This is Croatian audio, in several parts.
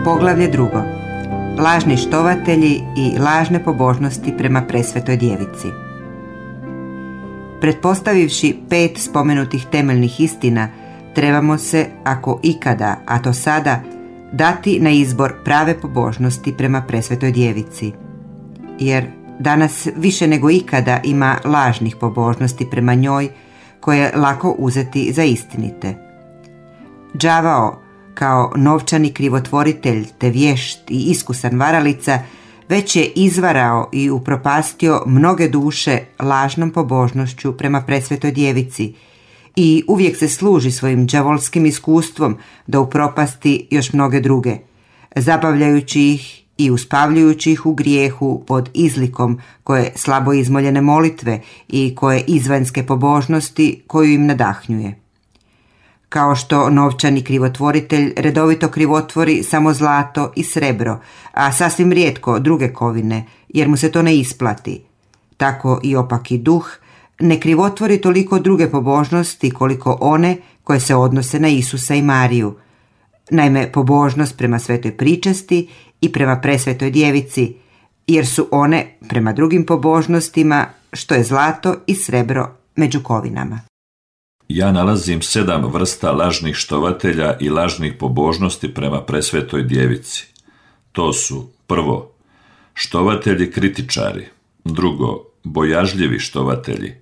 Poglavlje 2. Lažni štovatelji i lažne pobožnosti prema presvetoj djevici. Pretpostavivši 5 spomenutih temeljnih istina, trebamo se, ako ikada, a to sada, dati na izbor prave pobožnosti prema presvetoj djevici. Jer danas više nego ikada ima lažnih pobožnosti prema njoj koje je lako uzeti za istinite. Đavao, kao novčani krivotvoritelj te vješt i iskusan varalica, već je izvarao i upropastio mnoge duše lažnom pobožnošću prema presvetoj djevici i uvijek se služi svojim đavolskim iskustvom da upropasti još mnoge druge, zabavljajući ih i uspavljujući ih u grijehu pod izlikom koje slabo izmoljene molitve i koje izvanjske pobožnosti koju im nadahnjuje. Kao što novčani krivotvoritelj redovito krivotvori samo zlato i srebro, a sasvim rijetko druge kovine, jer mu se to ne isplati, tako i opaki duh ne krivotvori toliko druge pobožnosti koliko one koje se odnose na Isusa i Mariju. Naime, pobožnost prema svetoj pričesti i prema presvetoj djevici, jer su one prema drugim pobožnostima što je zlato i srebro među kovinama. Ja nalazim 7 vrsta lažnih štovatelja i lažnih pobožnosti prema presvetoj djevici. To su: prvo, štovatelji kritičari; drugo, bojažljivi štovatelji;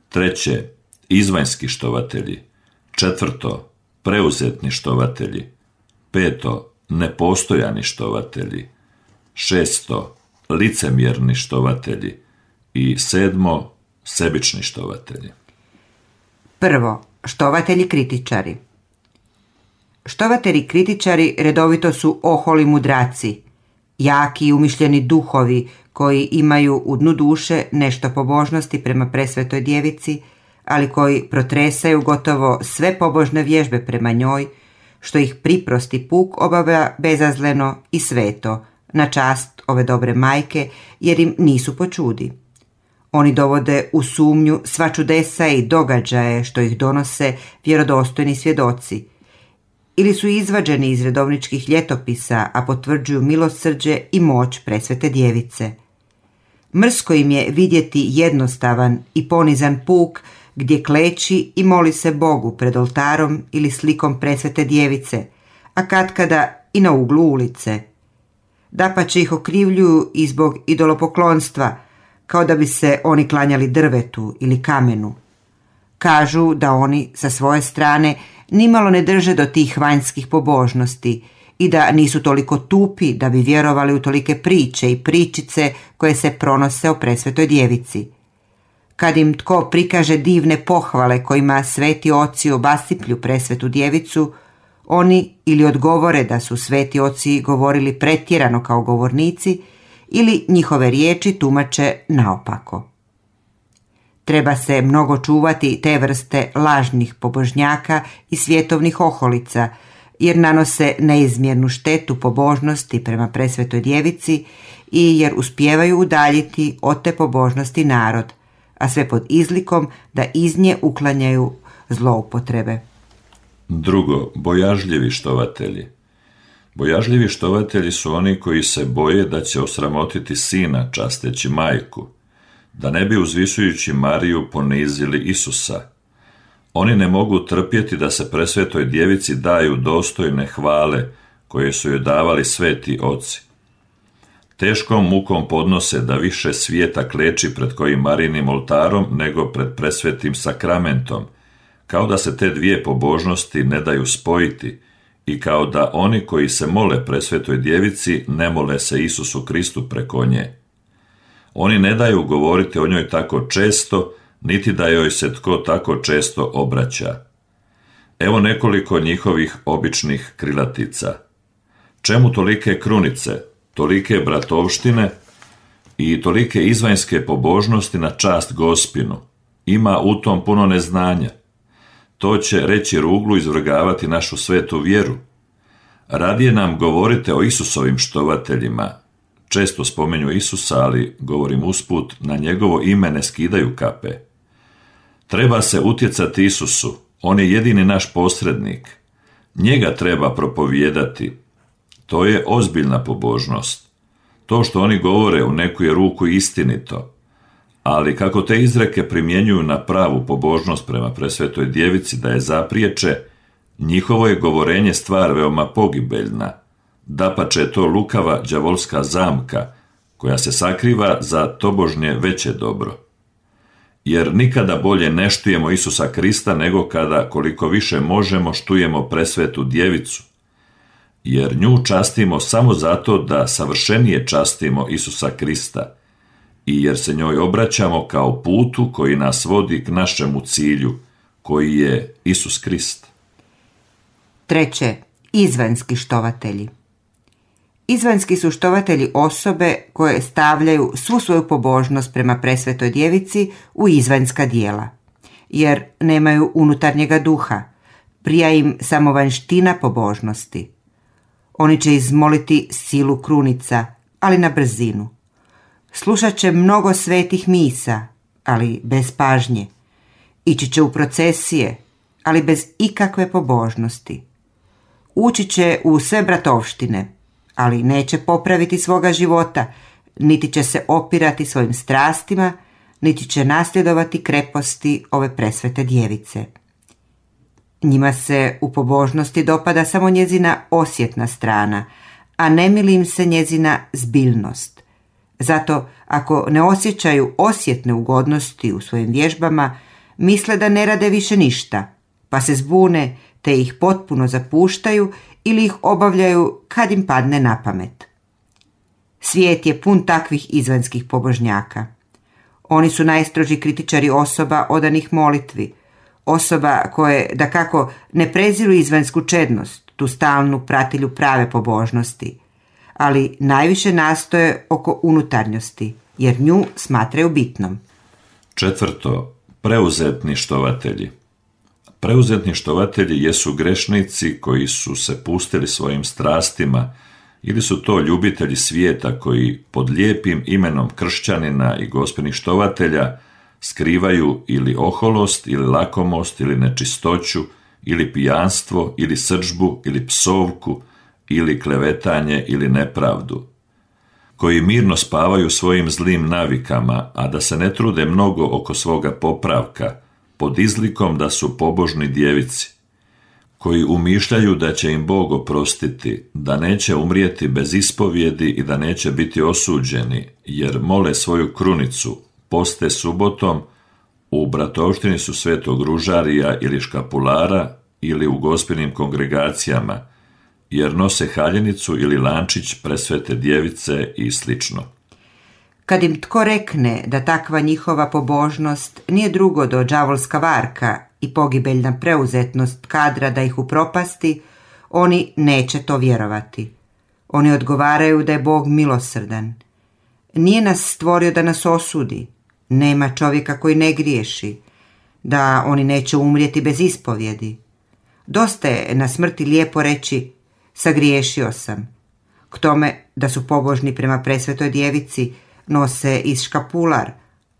treće, izvanjski štovatelji; četvrto, preuzetni štovatelji; peto, nepostojani štovatelji; šesto, licemjerni štovatelji i sedmo, sebični štovatelji. Prvo, štovatelji kritičari. Štovatelji kritičari redovito su oholi mudraci, jaki i umišljeni duhovi koji imaju u dnu duše nešto pobožnosti prema presvetoj djevici, ali koji protresaju gotovo sve pobožne vježbe prema njoj, što ih priprosti puk obavlja bezazleno i sveto, na čast ove dobre majke, jer im nisu po čudi. Oni dovode u sumnju sva čudesa i događaje što ih donose vjerodostojni svjedoci, ili su izvađeni iz redovničkih ljetopisa, a potvrđuju milosrđe i moć presvete djevice. Mrsko im je vidjeti jednostavan i ponizan puk gdje kleči i moli se Bogu pred oltarom ili slikom presvete djevice, a katkada i na uglu ulice. Dapače ih okrivljuju i zbog idolopoklonstva, kao da bi se oni klanjali drvetu ili kamenu. Kažu da oni sa svoje strane nimalo ne drže do tih vanjskih pobožnosti i da nisu toliko tupi da bi vjerovali u tolike priče i pričice koje se pronose o presvetoj djevici. Kad im tko prikaže divne pohvale kojima sveti oci obasiplju presvetu djevicu, oni ili odgovore da su sveti oci govorili pretjerano kao govornici, ili njihove riječi tumače naopako. Treba se mnogo čuvati te vrste lažnih pobožnjaka i svjetovnih oholica, jer nanose neizmjernu štetu pobožnosti prema presvetoj djevici i jer uspijevaju udaljiti od te pobožnosti narod, a sve pod izlikom da iz nje uklanjaju zloupotrebe. Drugo, bojažljivi štovatelji. Bojažljivi štovatelji su oni koji se boje da će osramotiti sina časteći majku, da ne bi uzvisujući Mariju ponizili Isusa. Oni ne mogu trpjeti da se presvetoj djevici daju dostojne hvale koje su joj davali sveti oci. Teškom mukom podnose da više svijeta kleči pred kojim Marijinim oltarom nego pred presvetim sakramentom, kao da se te dvije pobožnosti ne daju spojiti i kao da oni koji se mole presvetoj djevici ne mole se Isusu Kristu preko nje. Oni ne daju govoriti o njoj tako često, niti da joj se tko tako često obraća. Evo nekoliko njihovih običnih krilatica. Čemu tolike krunice, tolike bratovštine i tolike izvanjske pobožnosti na čast Gospinu? Ima u tom puno neznanja. To će, reći ruglu, izvrgavati našu svetu vjeru. Radije nam govorite o Isusovim štovateljima. Često spomenju Isusa, ali, govorim usput, na njegovo ime ne skidaju kape. Treba se utjecati Isusu, on je jedini naš posrednik. Njega treba propovijedati. To je ozbiljna pobožnost. To što oni govore u neku je ruku istinito, ali kako te izreke primjenjuju na pravu pobožnost prema presvetoj djevici da je zapriječe, njihovo je govorenje stvar veoma pogibeljna. Dapače je to lukava đavolska zamka koja se sakriva za tobožnje veće dobro. Jer nikada bolje ne štujemo Isusa Krista nego kada, koliko više možemo, štujemo presvetu djevicu. Jer nju častimo samo zato da savršenije častimo Isusa Krista i jer se njoj obraćamo kao putu koji nas vodi k našemu cilju, koji je Isus Krist. 3. Izvanjski štovatelji. Izvanjski su štovatelji osobe koje stavljaju svu svoju pobožnost prema presvetoj djevici u izvanjska dijela, jer nemaju unutarnjega duha, prija im samo vanjština pobožnosti. Oni će izmoliti silu krunica, ali na brzinu. Slušat će mnogo svetih misa, ali bez pažnje. Ići će u procesije, ali bez ikakve pobožnosti. Ući će u sve bratovštine, ali neće popraviti svoga života, niti će se opirati svojim strastima, niti će nasljedovati kreposti ove presvete djevice. Njima se u pobožnosti dopada samo njezina osjetna strana, a ne mili im se njezina zbiljnost. Zato, ako ne osjećaju osjetne ugodnosti u svojim vježbama, misle da ne rade više ništa, pa se zbune te ih potpuno zapuštaju ili ih obavljaju kad im padne na pamet. Svijet je pun takvih izvanjskih pobožnjaka. Oni su najstroži kritičari osoba odanih molitvi, osoba koje, dakako, ne preziru izvanjsku čednost, tu stalnu pratilju prave pobožnosti, ali najviše nastoje oko unutarnjosti, jer nju smatraju bitnom. 4. Preuzetni štovatelji. Preuzetni štovatelji jesu grešnici koji su se pustili svojim strastima ili su to ljubitelji svijeta koji pod lijepim imenom kršćanina i gospelnih štovatelja skrivaju ili oholost, ili lakomost, ili nečistoću, ili pijanstvo, ili srdžbu, ili psovku, ili klevetanje, ili nepravdu, koji mirno spavaju svojim zlim navikama, a da se ne trude mnogo oko svoga popravka, pod izlikom da su pobožni djevici, koji umišljaju da će im Bog oprostiti, da neće umrijeti bez ispovjedi i da neće biti osuđeni, jer mole svoju krunicu, poste subotom, u bratovštini su Svetog Ružarija ili škapulara ili u gospelnim kongregacijama, jer nose haljenicu ili lančić presvete djevice i slično. Kad im tko rekne da takva njihova pobožnost nije drugo do đavolska varka i pogibeljna preuzetnost kadra da ih upropasti, oni neće to vjerovati. Oni odgovaraju da je Bog milosrdan. Nije nas stvorio da nas osudi, nema čovjeka koji ne griješi, da oni neće umrijeti bez ispovjedi. Dosta je na smrti lijepo reći sagriješio sam. K tome da su pobožni prema presvetoj djevici, nose iz škapular,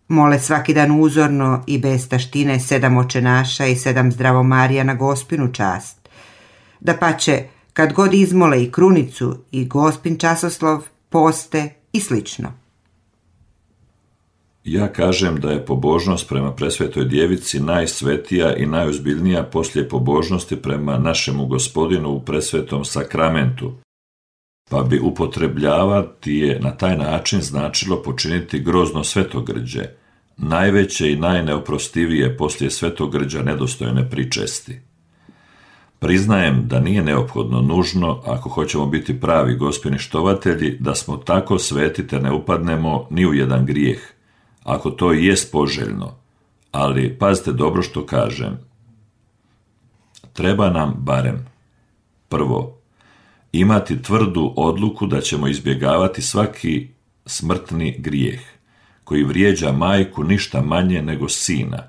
mole svaki dan uzorno i bez taštine 7 očenaša i 7 zdravomarija na Gospinu čast. Dapače, kad god izmole i krunicu i Gospin časoslov, poste i slično. Ja kažem da je pobožnost prema presvetoj djevici najsvetija i najozbiljnija poslije pobožnosti prema našemu Gospodinu u presvetom sakramentu, pa bi upotrebljavati je na taj način značilo počiniti grozno svetogrđe, najveće i najneoprostivije poslije svetogrđa nedostojne pričesti. Priznajem da nije neophodno nužno, ako hoćemo biti pravi Gospini štovatelji, da smo tako sveti te ne upadnemo ni u jedan grijeh, ako to i jest poželjno, ali pazite dobro što kažem. Treba nam barem: prvo, imati tvrdu odluku da ćemo izbjegavati svaki smrtni grijeh, koji vrijeđa majku ništa manje nego sina.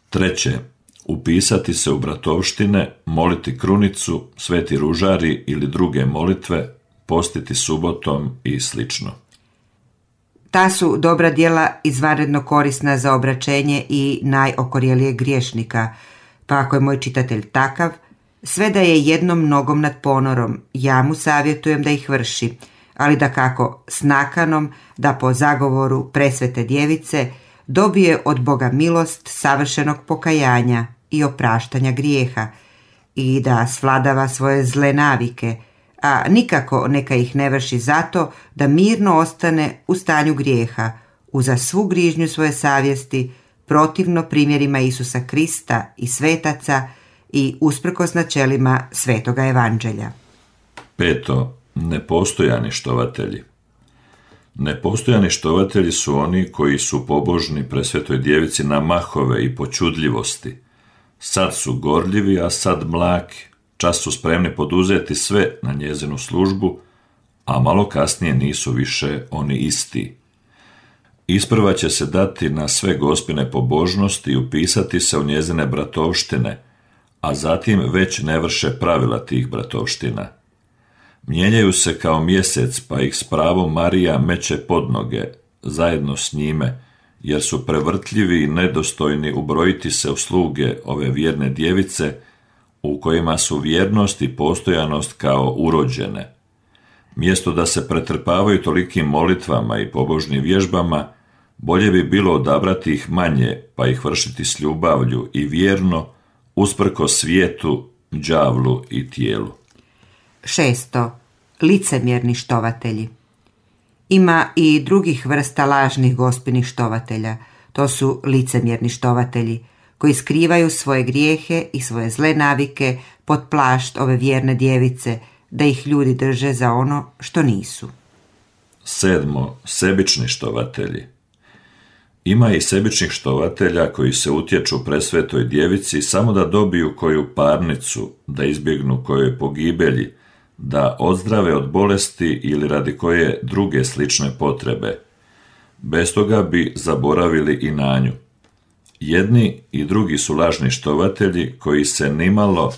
Treće, upisati se u bratovštine, moliti krunicu, sveti ružari ili druge molitve, postiti subotom i slično. Ta su dobra djela izvanredno korisna za obraćenje i najokorjelijeg griješnika, pa ako je moj čitatelj takav, Sve da je jednom nogom nad ponorom, ja mu savjetujem da ih vrši, ali da kako s nakanom da po zagovoru presvete djevice dobije od Boga milost savršenog pokajanja i opraštanja grijeha i da svladava svoje zle navike, a nikako neka ih ne vrši zato da mirno ostane u stanju grijeha, uza svu grižnju svoje savjesti, protivno primjerima Isusa Krista i svetaca i usprkos načelima svetoga evanđelja. 5. Nepostojani štovatelji. Nepostojani štovatelji su oni koji su pobožni presvetoj djevici na mahove i počudljivosti. Sad su gorljivi, a sad mlaki. Čas su spremni poduzeti sve na njezinu službu, a malo kasnije nisu više oni isti. Isprva će se dati na sve gospine pobožnosti i upisati se u njezine bratovštine, a zatim već ne vrše pravila tih bratovština. Mijenjaju se kao mjesec, pa ih s pravom Marija meće pod noge, zajedno s njime, jer su prevrtljivi i nedostojni ubrojiti se u sluge ove vjerne djevice, u kojima su vjernost i postojanost kao urođene. Mjesto da se pretrpavaju tolikim molitvama i pobožnim vježbama, bolje bi bilo odabrati ih manje, pa ih vršiti s ljubavlju i vjerno, usprko svijetu, đavlu i tijelu. 6. Licemjerni štovatelji. Ima i drugih vrsta lažnih gospinih štovatelja. To su licemjerni štovatelji, koji skrivaju svoje grijehe i svoje zle navike pod plašt ove vjerne djevice, da ih ljudi drže za ono što nisu. 7. Sebični štovatelji. Ima i sebičnih štovatelja koji se utječu presvetoj djevici samo da dobiju koju parnicu, da izbjegnu kojoj pogibelji, da odzdrave od bolesti ili radi koje druge slične potrebe. Bez toga bi zaboravili i na nju. Jedni i drugi su lažni štovatelji koji se nimalo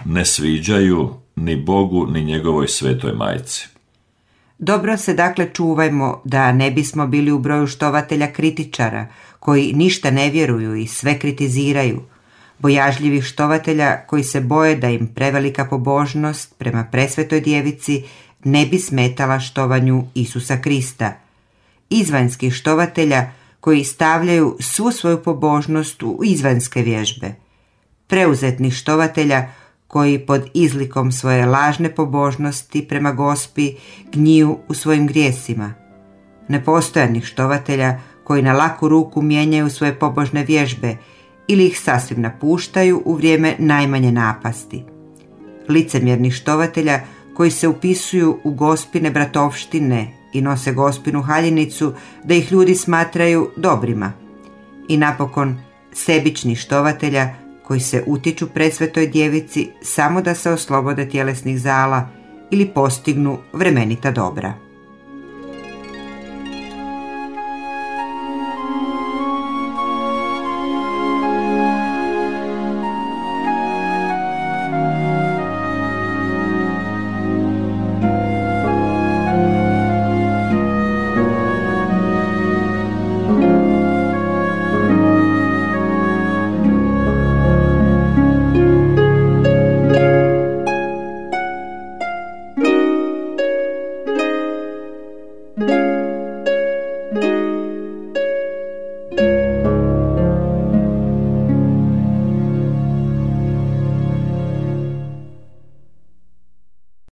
ne sviđaju ni Bogu ni njegovoj svetoj majci. Dobro se dakle čuvajmo da ne bismo bili u broju štovatelja kritičara, koji ništa ne vjeruju i sve kritiziraju, bojažljivih štovatelja koji se boje da im prevelika pobožnost prema presvetoj djevici ne bi smetala štovanju Isusa Krista, izvanjskih štovatelja koji stavljaju svu svoju pobožnost u izvanjske vježbe, preuzetnih štovatelja koji pod izlikom svoje lažne pobožnosti prema Gospi gniju u svojim grijesima, nepostojanih štovatelja koji na laku ruku mijenjaju svoje pobožne vježbe ili ih sasvim napuštaju u vrijeme najmanje napasti, licemjernih štovatelja koji se upisuju u Gospine bratovštine i nose Gospinu haljinicu da ih ljudi smatraju dobrima, i napokon sebičnih štovatelja koji se utiču presvetoj djevici samo da se oslobode tjelesnih zala ili postignu vremenita dobra.